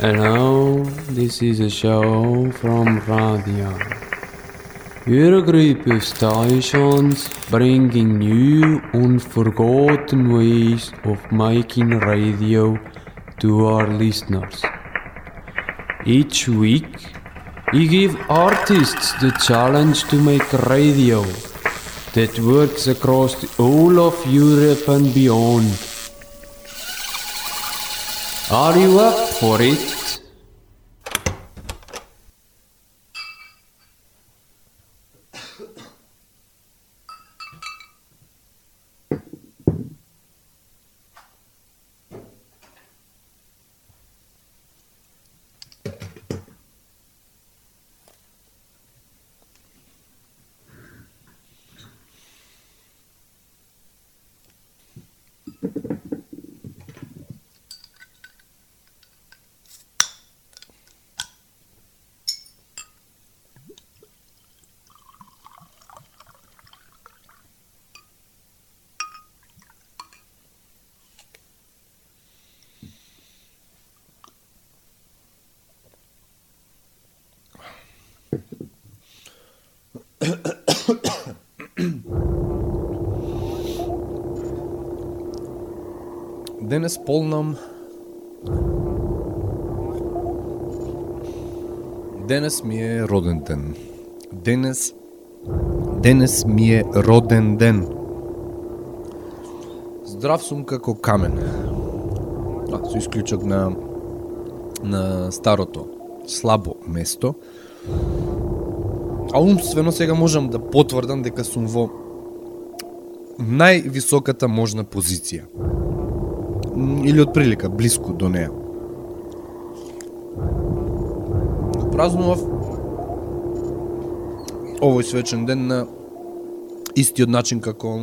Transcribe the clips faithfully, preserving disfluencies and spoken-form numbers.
Hello, this is a show from radio. We're a group of stations bringing new, unforgotten ways of making radio to our listeners. Each week, we give artists the challenge to make radio that works across the whole of Europe and beyond. Are you up for it? Денес полнам Денес ми е роден ден. Денес Денес ми е роден ден. Здрав сум како камен. А, со исклучок на на старото слабо место. А умствено сега можам да потврдам дека сум во највисоката можна позиција. Или од прилика, близко до неа. Празнував овој свечен ден на истиот начин како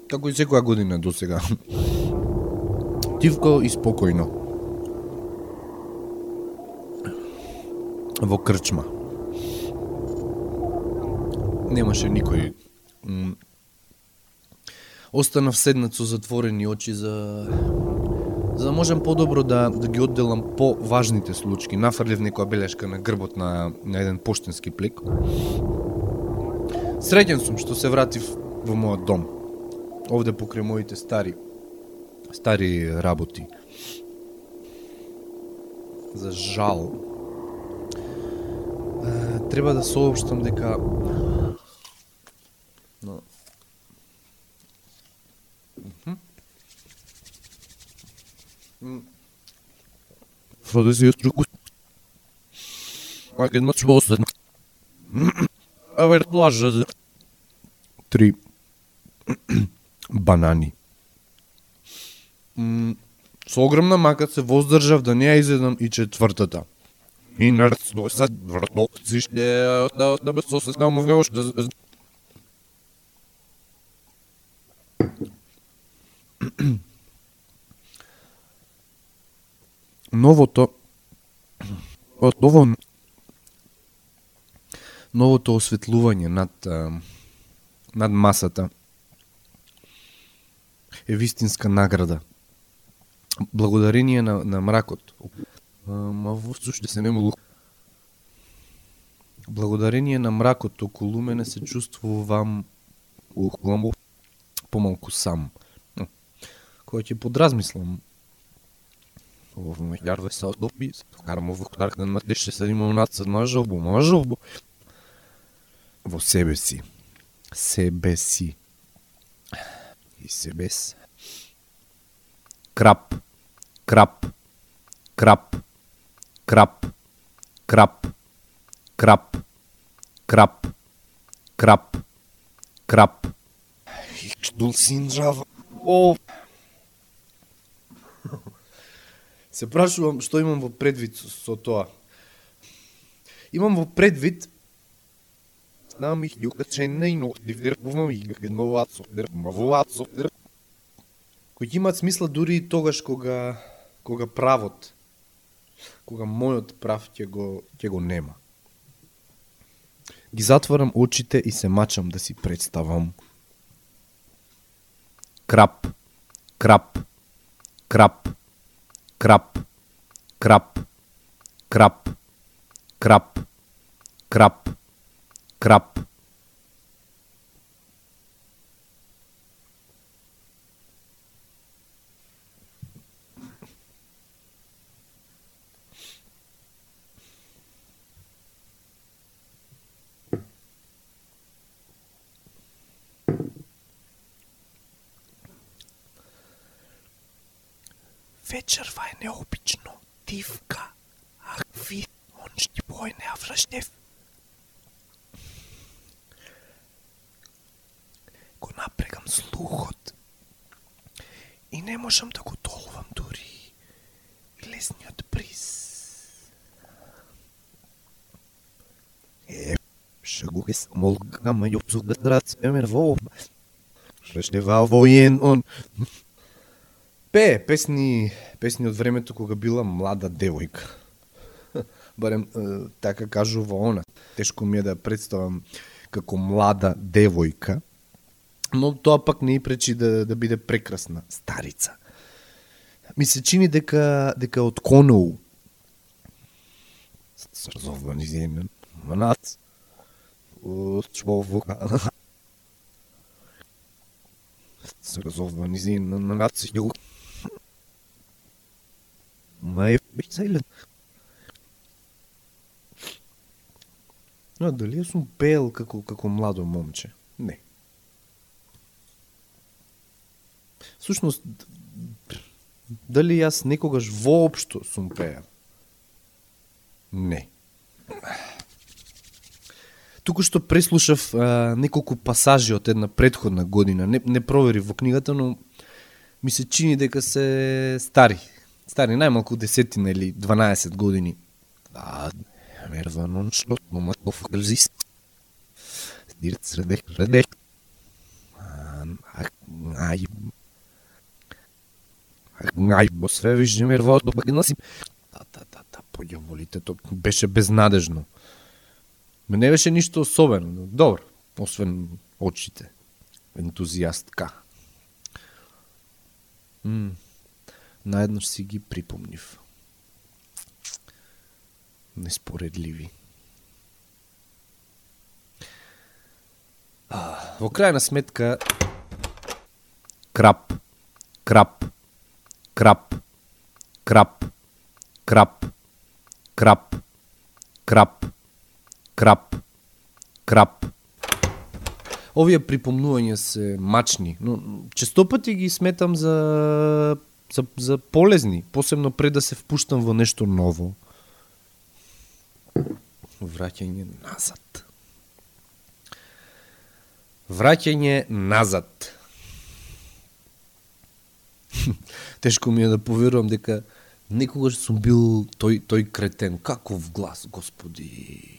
како и секоја година до сега. Тивко и спокојно. Во крчма. Немаше никој. Останав седнат со затворени очи за за да можам подобро да да ги одделам по важните случаи. Нафрлив некоја белешка на грбот на на еден поштенски плик. Среќен сум што се вратив во мојот дом. Овде покрај моите стари стари работи. За жал треба да соопштам дека но For det ser ut Как едно чувство. А вер плажа. Три банани. Со огромна мака се воздржав да не ја изедам и четвртата. И нарцо сад вртно зиште да да бе со се снаму веош да Новото од ово новото осветлување над над масата е вистинска награда. Благодарение на на мракот. Ма воопшто се не могу. Благодарение на мракот околу мене се чувствувам ухламо помалку сам. Кој ќе подразмислам в милиарда се одоби, карам во кударка на деше се имам нацад на жолбу, на жолбу. Во себе си. Себе си. И себе си. Крап. Крап. Крап. Крап. Крап. Крап. Крап. Крап. Крап. Дул синджава. О! Се прашувам што имам во предвид со, со тоа. Имам во предвид знам их јукачене и нохдивдерпувам и генмовацов, кои имаат смисла дури и тогаш кога кога правот, кога мојот прав ќе го ќе го нема. Ги затварам очите и се мачам да си представам. Крап, крап, крап, крап, крап, крап, крап, крап, крап. Вечерва е необично, тивка, а ви, он ще бой не авръщев. Го напрегам слухот и не можам да го толвам дури и лесниот бриз. Е, ще го е самолгама и обсугат семен во ще ва воен он. Пее песни, песни од времето кога била млада девојка. Барем е, така кажува она. Тешко ми е да представам како млада девојка, но тоа пак не и пречи да, да биде прекрасна старица. Ми се чини дека дека од Коноу срзовани земен манат човека срзовани земен манат ју Мај бицајлен. Но дали ја сум пеел како, како младо момче? Не. Сушност, дали јас некогаш воопшто сум пеел? Не. Туку што преслушав а, неколку пасажи од една претходна година, не, не провери во книгата, но ми се чини дека се стари. Стари најмалку десетина или дванаесет години. А, мервано шлот, момат офгрзис. Дирт средех, средех. Ај, ај, бо све виждем мервото, пак носим. Та, та, та, та, појаволите, то беше безнадежно. Ме не беше ништо особено, добро, освен очите. Ентузијастка. Мм. Наеднаш си ги припомнив. Неспоредливи. А, во крајна сметка крап, крап, крап, крап, крап, крап, крап, крап, крап. Овие припомнувања се мачни, но честопати ги сметам за За, за полезни, посебно пред да се впуштам во нешто ново. Враќање назад. Враќање назад. Тешко ми е да поверувам дека некогаш сум бил тој, тој кретен. Каков глас, господи.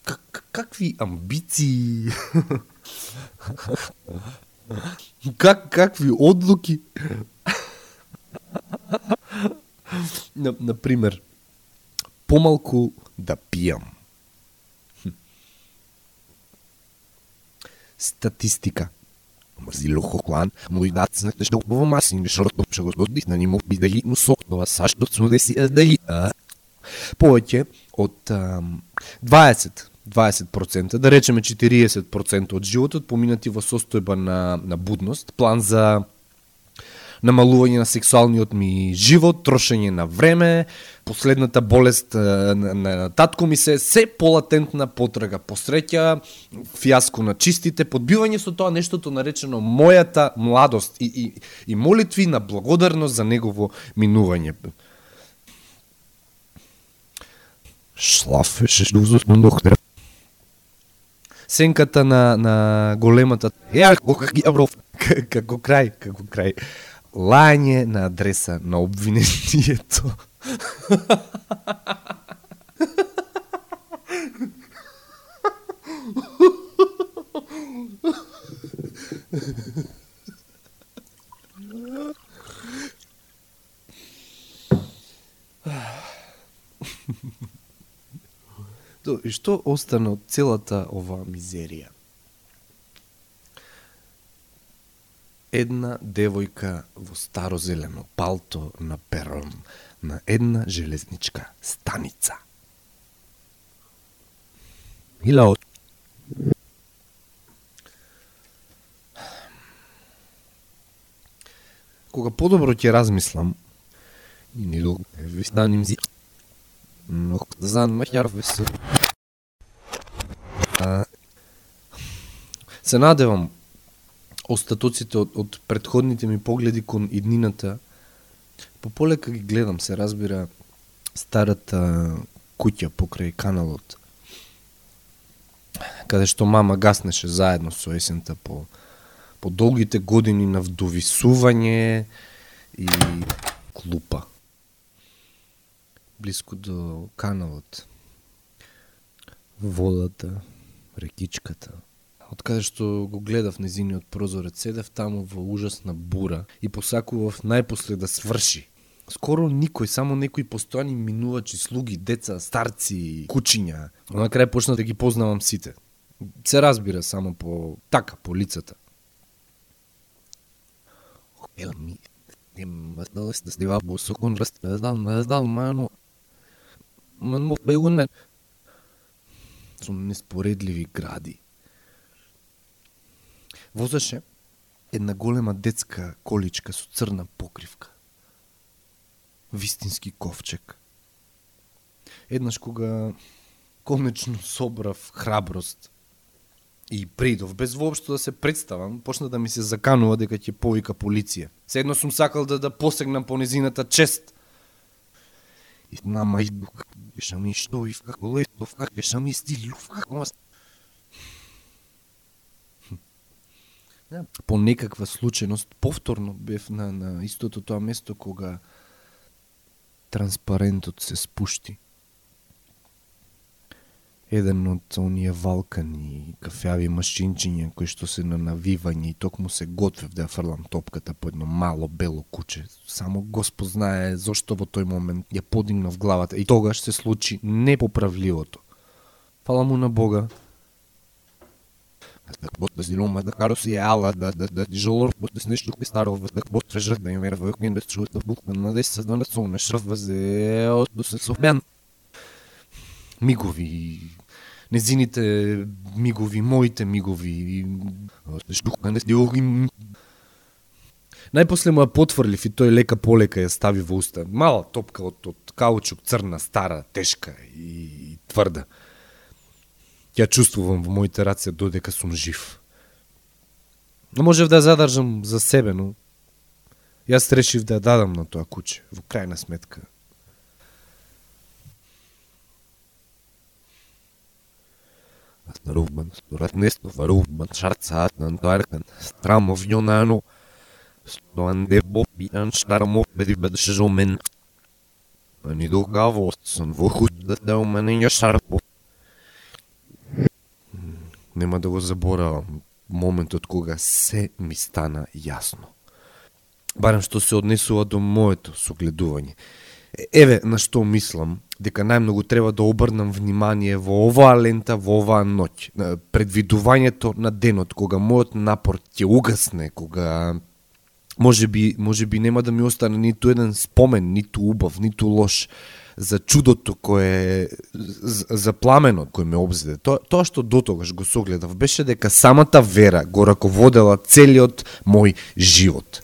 Как, какви амбиции. как, какви одлуки. Например, помалку да пијам. Статистика. Мрзило хоклан, мој дат знакте што убаво маси, не шорто што го згодих на нимо би да ги носоктова сашто цу деси да ги. Повеќе од дваесет проценти, да речеме четириесет проценти од животот поминати во состојба на, на будност, план за намалување на сексуалниот ми живот, трошење на време, последната болест на, на татко ми се, се полатентна потрага по среќа, фијаско на чистите, подбивање со тоа нештото наречено мојата младост и, и, и молитви на благодарност за негово минување. Шлафеше жузот на доктор. Сенката на, на големата ја, како крај, како крај. Лање на адреса на обвинението. И што остана од целата оваа мизерија? Една девојка во старозелено палто на перон на една железничка станица. Илаот. Кога подобро ќе размислам, и не долго ви станим зи, но зан махјар весел. Се надевам остатоците од, од претходните ми погледи кон иднината, по полека ги гледам, се разбира, старата куќа покрај каналот, каде што мама гаснеше заедно со есента по, по долгите години на вдовисување и клупа. Блиску до каналот, водата, рекичката. Од каде што го гледав незиниот прозорец, седев таму во ужасна бура и посакував најпосле да сврши. Скоро никој, само некои постојани минувачи, слуги, деца, старци, кучиња. На крај почнав да ги познавам сите. Се разбира само по така, по лицата. Ела ми, нема да се стива босокон раздал, раздал, мано. Мано бегуне. Со неспоредливи гради. Возеше една голема детска количка со црна покривка. Вистински ковчег. Еднаш кога конечно собрав храброст и придов, без воопшто да се представам, почна да ми се заканува дека ќе повика полиција. Седно сум сакал да да посегнам по незината чест. И нама иду, кај ми што и како летов, кај ми стилов, како по некаква случајност повторно бев на, на истото тоа место кога транспарентот се спушти. Еден од оние валкани кафеави машинчиња кои што се на навивање и токму се готвев да ја фрлам топката по едно мало бело куче. Само Господ знае зошто во тој момент ја подигнав главата и тогаш се случи непоправливото. Фала му на Бога. Да да зилома да кароси е ала да да да жолор да се нешто ке старо да бот трежат да имер во кин да чуат да бук на десет да со на шрф вазе од се софмен. Мигови, незините мигови, моите мигови, што не стиоги. Најпосле му ја потврлив и тој лека полека ја стави во уста. Мала топка од, од каучук, црна, стара, тешка и тврда. Ја чувствувам во моите раце додека сум жив. Не можев да ја задржам за себе, но јас решив да ја дадам на тоа куче, во крајна сметка. Рубан, сторат несто, варубан, шарцаат, нантуаркан, страмов јонано, стоан де бопиан, штарамов, беди бедеше жомен. А ни догаво, сон во худ да да уменења шарпо. Нема да го заборавам моментот кога се ми стана јасно. Барем што се однесува до моето согледување. Еве на што мислам дека најмногу треба да обрнам внимание во оваа лента, во оваа ноќ. Предвидувањето на денот, кога мојот напор ќе угасне, кога може би, може би нема да ми остане ниту еден спомен, ниту убав, ниту лош, за чудото кое, за пламенот кој ме обзеде. Тоа, тоа што дотогаш го согледав беше дека самата вера го раководела целиот мој живот.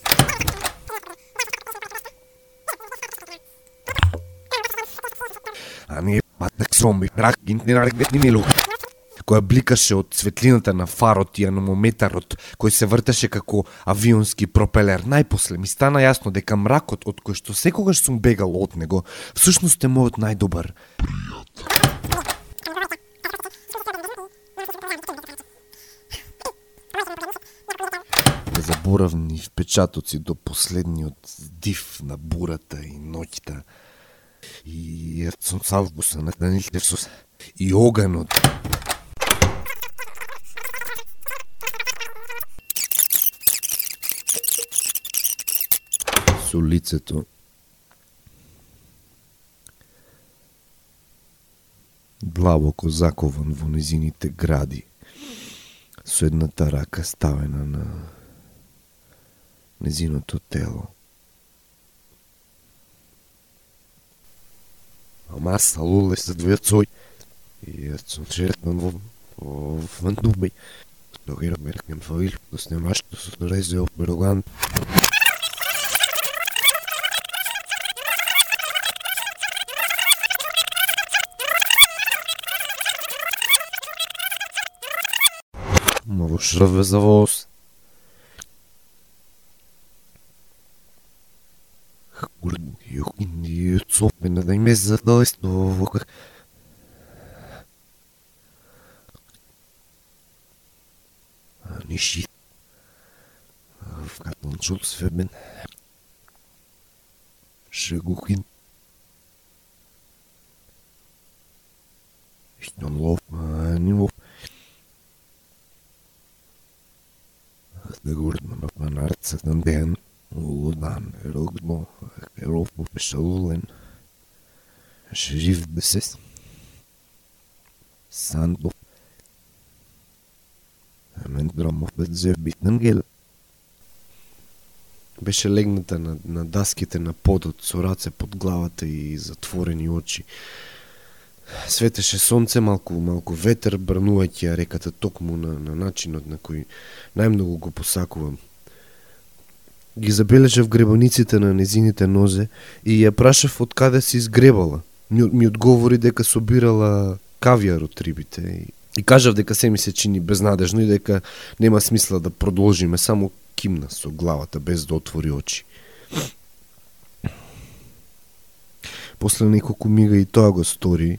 А ние патак сромби, рак, гинтнерак, детнинилу, која бликаше од светлината на фарот и аномометарот, кој се вртеше како авионски пропелер. Најпосле ми стана јасно дека мракот од кој што секогаш сум бегал од него, всушност е мојот најдобар пријател. Заборавни впечатоци до последниот див на бурата и ноќта. И сум салбуса на Данилтевсус и оганот. Со лицето длабоко закован во незините гради, со едната рака ставена на незиното тело. Ама аз салуле се двојцој и сум шеретан во во Вандубеј. Тогера меркем фаил, да снимаш, да се нарезе од Бероган. Ма во шрве за воз. Јокин и цопена да им е задалесно во как... Ниши. Вкатнал чул свебен. Шегухин. Штон лов, а не лов. Да говорим на панарцът на ден. Лудан, рогно, еров по пешалулен. Шериф бесес. Сандов. Мен Громов бе зев битнен гел. Беше легната на, на даските на подот со раце под главата и затворени очи. Светеше сонце, малку, малку ветер, брнувајќи ја реката токму на, на начинот на кој најмногу го посакувам. Ги забележав гребаниците на незините нозе и ја прашав од каде се изгребала. Ми, ми одговори дека собирала кавијар од рибите и, и кажав дека се ми се чини безнадежно и дека нема смисла да продолжиме, само кимна со главата без да отвори очи. После неколку мига и тоа го стори,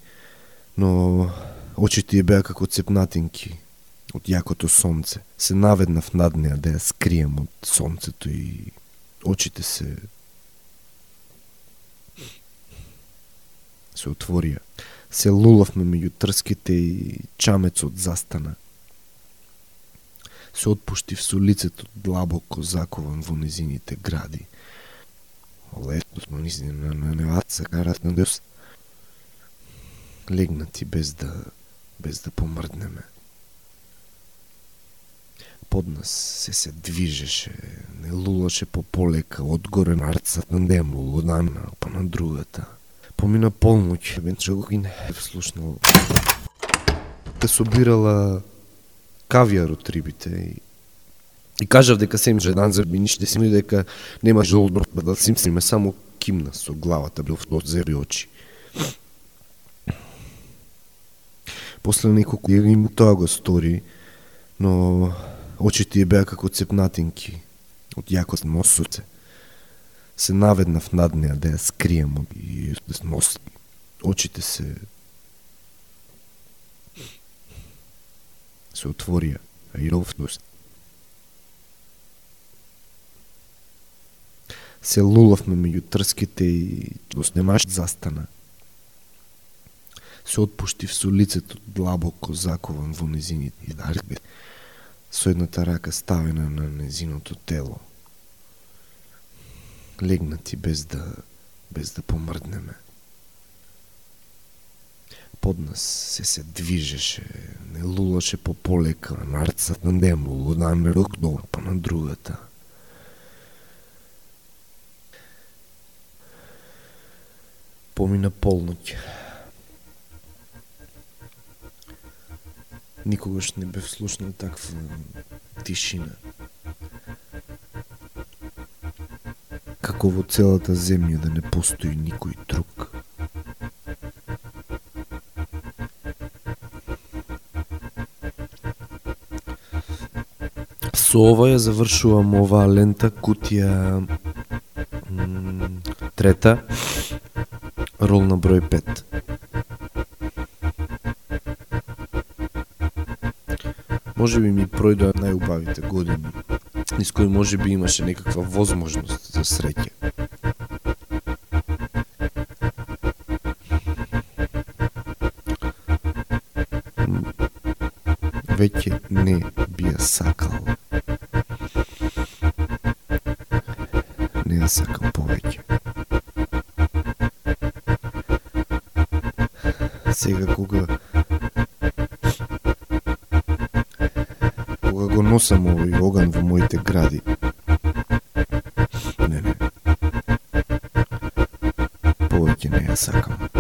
но очите ја беа како цепнатинки од јакото сонце. Се наведнав над неа да ја скрием од сонцето и очите се се отворија. Се лулавме меѓу трските и чамецот застана. Се отпуштив со лицето длабоко закован во незините гради. Летно смо низи на, на неваца карат на дес. Легнати без да без да помрднеме. Под нас се се движеше, не лулаше по полека, одгоре на арцат на дем, лудана, па на другата. Помина полноќ, венче го не слушнал. Те собирала кавијар од рибите и, и кажав дека се им жедан за ниште си, и дека нема жолбро да сим симе, само кимна со главата, бил од зеби очи. После неколку им тоа го стори, но очите ја беа како цепнатинки од јакот носоце. Се наведнав над неа да ја скрием и нос. Очите се се отворија, а и ровност. Се лулавме меѓу трските и доснемаш застана. Се отпуштив со лицето длабоко закован во незините и дарбе, со едната рака ставена на незиното тело. Легнати без да без да помрднеме. Под нас се се движеше, не лулаше по полека, на арцат на дем, лудаме рокно, па на другата. Помина полноќ. Никогаш не бев слушнал таква тишина. Како во целата земја да не постои никој друг. Со ова ја завршувам оваа лента, кутија м, трета, рол на број пет. Може би ми пројдоа најубавите години, низ кои може би имаше некаква возможност за среќа. Веќе не би ја сакал. Не ја сакам повеќе. Сега кога кога го носам овој оган во моите гради, сакам.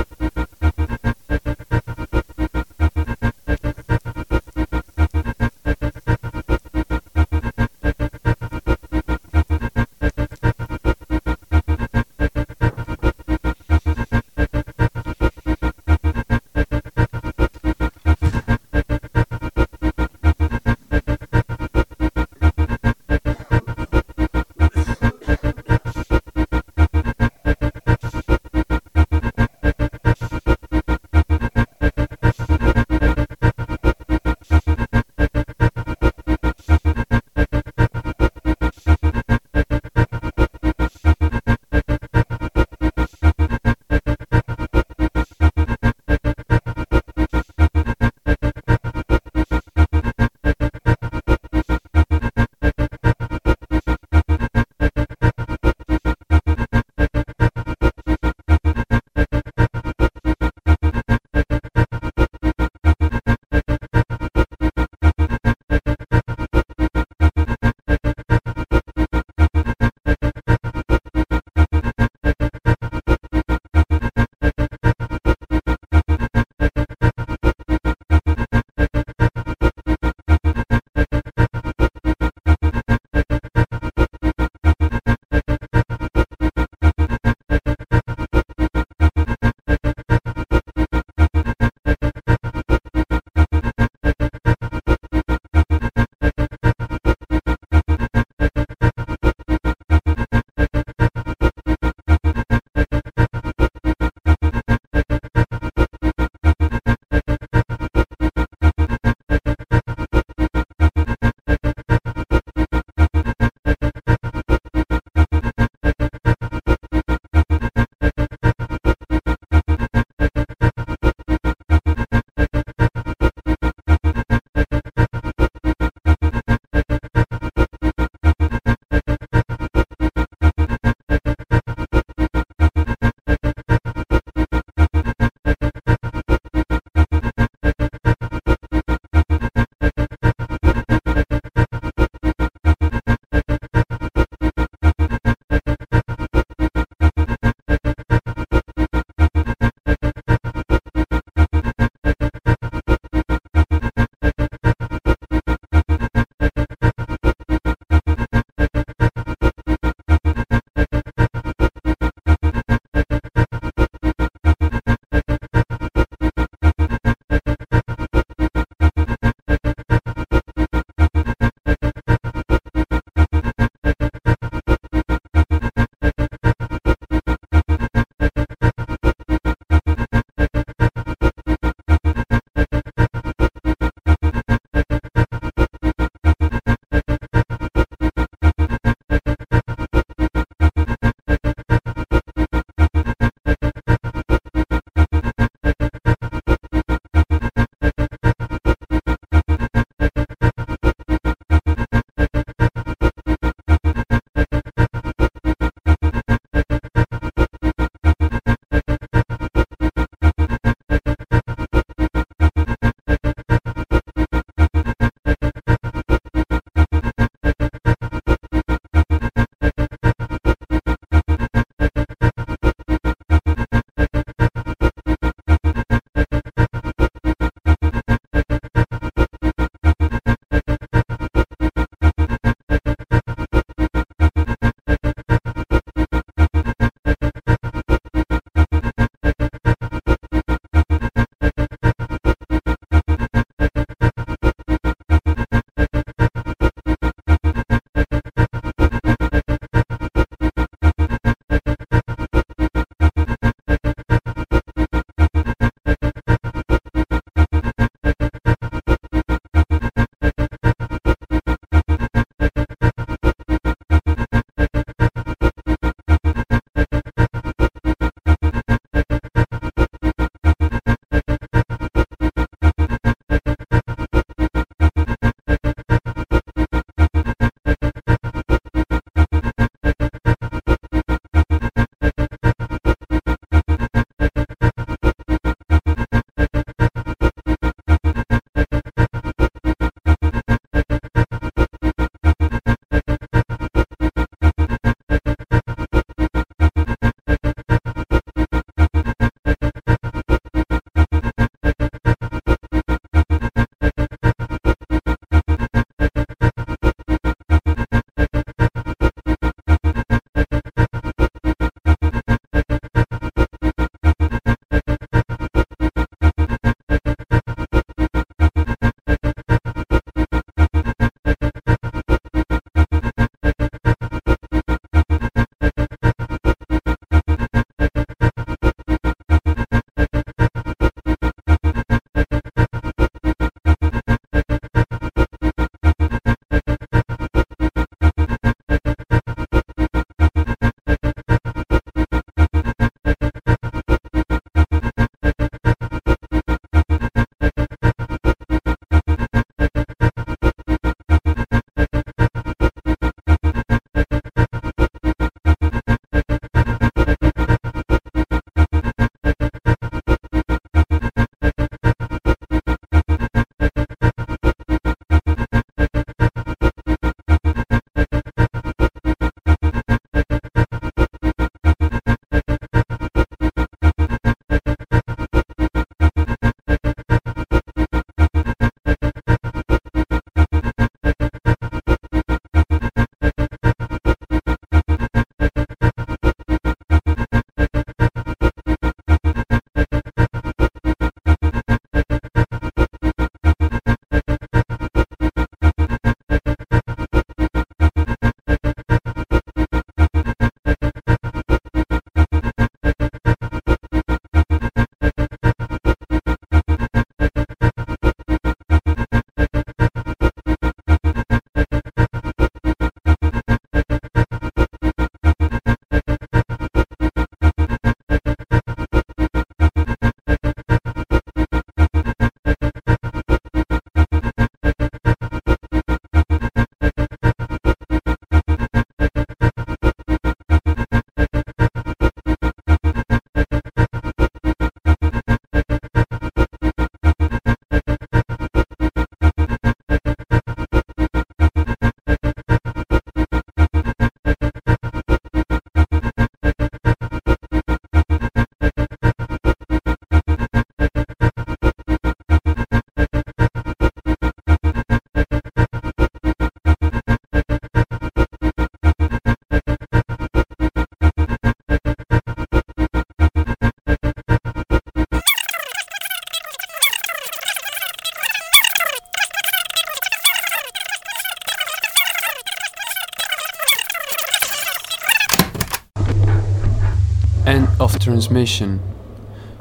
transmission.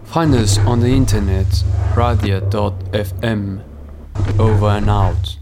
Find us on the internet, radia dot f m. Over and out.